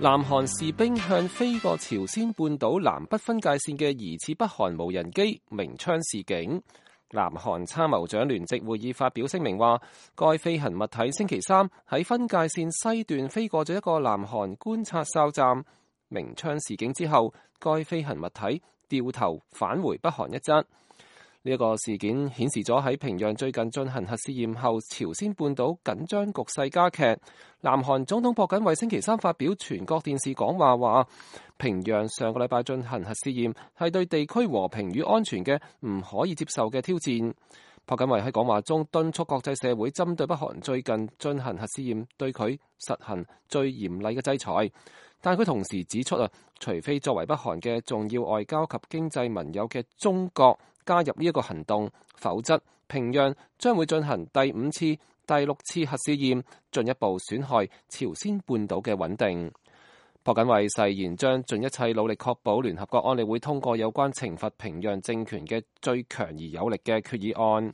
南韓士兵向飛過朝鮮半島南北分界線嘅疑似北韓無人機鳴槍示警。南韓參謀長聯席會議發表聲明話，該飛行物體星期三喺分界線西段飛過咗一個南韓觀察哨站，鳴槍示警之後，該飛行物體掉頭返回北韓一側。呢一個事件顯示咗喺平壤最近進行核試驗後，朝鮮半島緊張局勢加劇。南韓總統朴槿惠星期三發表全國電視講話，話平壤上個禮拜進行核試驗係對地區和平與安全嘅唔可以接受嘅挑戰。朴槿惠喺講話中敦促國際社會針對北韓最近進行核試驗，對佢實行最嚴厲嘅制裁。但佢同時指出除非作為北韓嘅重要外交及經濟盟友嘅中國加入呢一個行動，否則平壤將會進行第5次、第6次核試驗，進一步損害朝鮮半島嘅穩定。朴槿惠誓言將盡一切努力確保聯合國安理會通過有關懲罰平壤政權嘅最強而有力嘅決議案。